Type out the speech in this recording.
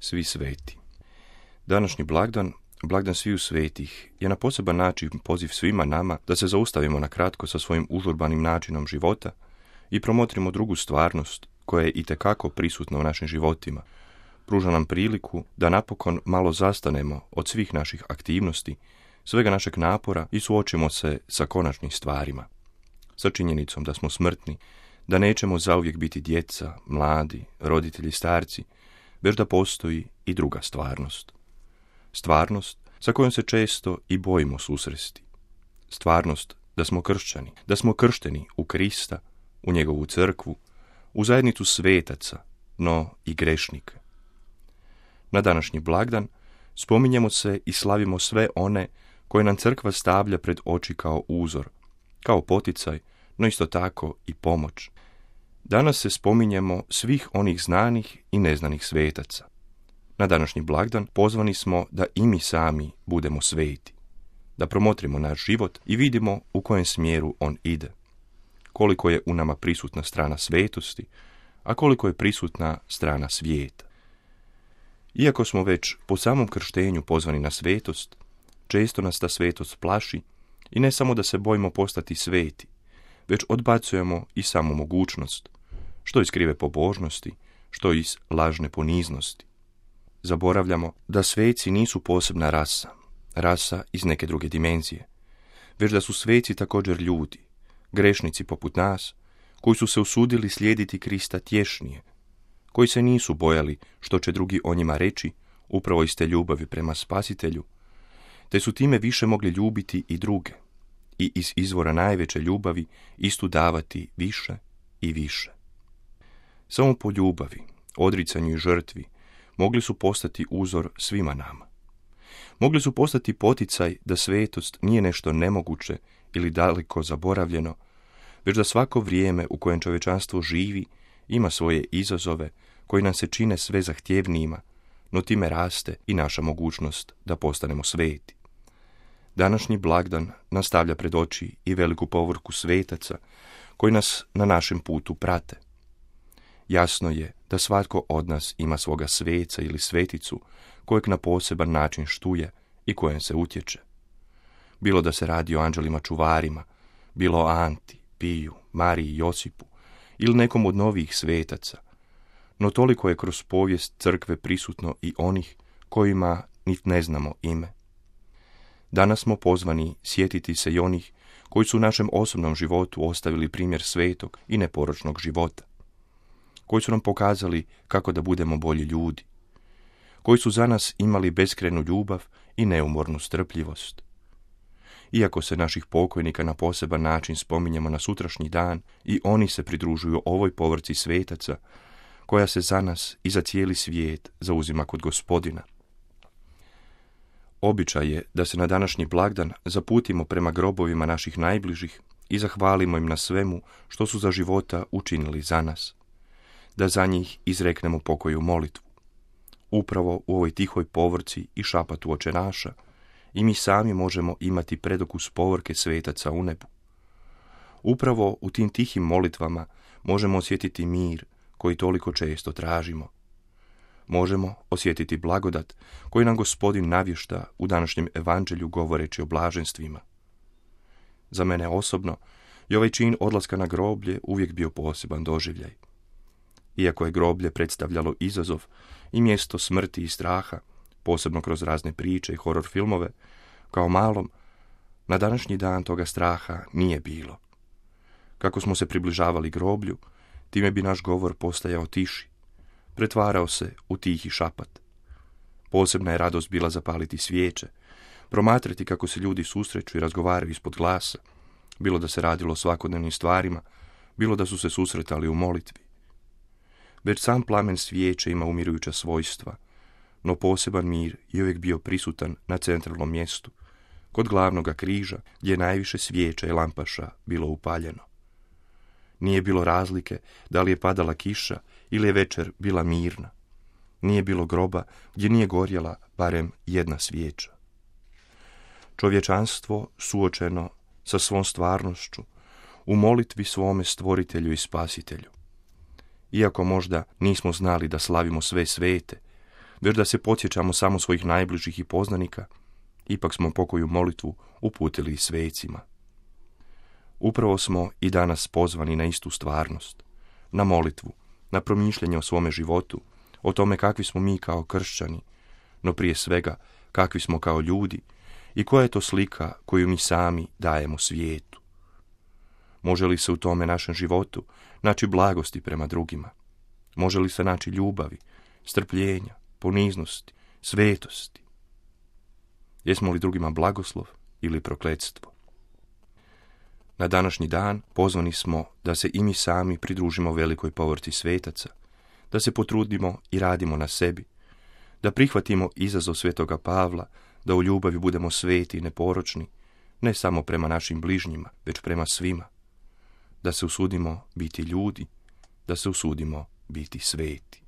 Svi sveti. Današnji blagdan, blagdan sviju svetih, je na poseban način poziv svima nama da se zaustavimo na kratko sa svojim užurbanim načinom života i promotrimo drugu stvarnost koja je itekako prisutna u našim životima. Pruža nam priliku da napokon malo zastanemo od svih naših aktivnosti, svega našeg napora i suočimo se sa konačnim stvarima. Sa činjenicom da smo smrtni, da nećemo zauvijek biti djeca, mladi, roditelji, starci, već da postoji i druga stvarnost. Stvarnost sa kojom se često i bojimo susresti. Stvarnost da smo kršćani, da smo kršteni u Krista, u njegovu crkvu, u zajednicu svetaca, no i grešnika. Na današnji blagdan spominjemo se i slavimo sve one koje nam crkva stavlja pred oči kao uzor, kao poticaj, no isto tako i pomoć. Danas se spominjemo svih onih znanih i neznanih svetaca. Na današnji blagdan pozvani smo da i mi sami budemo sveti, da promotrimo naš život i vidimo u kojem smjeru on ide, koliko je u nama prisutna strana svetosti, a koliko je prisutna strana svijeta. Iako smo već po samom krštenju pozvani na svetost, često nas ta svetost plaši i ne samo da se bojimo postati sveti, već odbacujemo i samu mogućnost, što iz krive pobožnosti, što iz lažne poniznosti. Zaboravljamo da sveci nisu posebna rasa iz neke druge dimenzije, već da su sveci također ljudi, grešnici poput nas, koji su se usudili slijediti Krista tješnije, koji se nisu bojali što će drugi o njima reći, upravo iz te ljubavi prema Spasitelju, te su time više mogli ljubiti i druge i iz izvora najveće ljubavi istu davati više i više. Samo po ljubavi, odricanju i žrtvi mogli su postati uzor svima nama. Mogli su postati poticaj da svetost nije nešto nemoguće ili daleko zaboravljeno, već da svako vrijeme u kojem čovječanstvo živi ima svoje izazove koji nam se čine sve zahtjevnijima, no time raste i naša mogućnost da postanemo sveti. Današnji blagdan nastavlja pred oči i veliku povorku svetaca koji nas na našem putu prate. Jasno je da svatko od nas ima svoga sveca ili sveticu kojeg na poseban način štuje i kojem se utječe. Bilo da se radi o anđelima čuvarima, bilo o Anti, Piju, Mariji i Josipu ili nekom od novih svetaca, no toliko je kroz povijest crkve prisutno i onih kojima niti ne znamo ime. Danas smo pozvani sjetiti se i onih koji su u našem osobnom životu ostavili primjer svetog i neporočnog života, koji su nam pokazali kako da budemo bolji ljudi, koji su za nas imali beskrajnu ljubav i neumornu strpljivost. Iako se naših pokojnika na poseban način spominjemo na sutrašnji dan, i oni se pridružuju ovoj povorci svetaca, koja se za nas i za cijeli svijet zauzima kod Gospodina. Običaj je da se na današnji blagdan zaputimo prema grobovima naših najbližih i zahvalimo im na svemu što su za života učinili za nas, da za njih izreknemo pokoju molitvu. Upravo u ovoj tihoj povorci i šapatu Oče naša i mi sami možemo imati predokus povorke svetaca u nebu. Upravo u tim tihim molitvama možemo osjetiti mir koji toliko često tražimo. Možemo osjetiti blagodat koji nam Gospodin navješta u današnjem evanđelju govoreći o blaženstvima. Za mene osobno je ovaj čin odlaska na groblje uvijek bio poseban doživljaj. Iako je groblje predstavljalo izazov i mjesto smrti i straha, posebno kroz razne priče i horor filmove, kao malom, na današnji dan toga straha nije bilo. Kako smo se približavali groblju, time bi naš govor postajao tiši, pretvarao se u tihi šapat. Posebna je radost bila zapaliti svijeće, promatrati kako se ljudi susreću i razgovaraju ispod glasa, bilo da se radilo o svakodnevnim stvarima, bilo da su se susretali u molitvi. Već sam plamen svijeće ima umirujuća svojstva, no poseban mir je uvijek bio prisutan na centralnom mjestu, kod glavnoga križa, gdje je najviše svijeća i lampaša bilo upaljeno. Nije bilo razlike da li je padala kiša ili je večer bila mirna. Nije bilo groba gdje nije gorjela barem jedna svijeća. Čovječanstvo suočeno sa svom stvarnošću u molitvi svome stvoritelju i spasitelju. Iako možda nismo znali da slavimo sve svete, već da se podsjećamo samo svojih najbližih i poznanika, ipak smo pokoju molitvu uputili i svecima. Upravo smo i danas pozvani na istu stvarnost, na molitvu, na promišljanje o svome životu, o tome kakvi smo mi kao kršćani, no prije svega kakvi smo kao ljudi i koja je to slika koju mi sami dajemo svijetu. Može li se u tome našem životu naći blagosti prema drugima? Može li se naći ljubavi, strpljenja, poniznosti, svetosti? Jesmo li drugima blagoslov ili prokletstvo? Na današnji dan pozvani smo da se i mi sami pridružimo velikoj povorci svetaca, da se potrudimo i radimo na sebi, da prihvatimo izazov svetoga Pavla, da u ljubavi budemo sveti i neporočni, ne samo prema našim bližnjima, već prema svima, da se usudimo biti ljudi, da se usudimo biti sveti.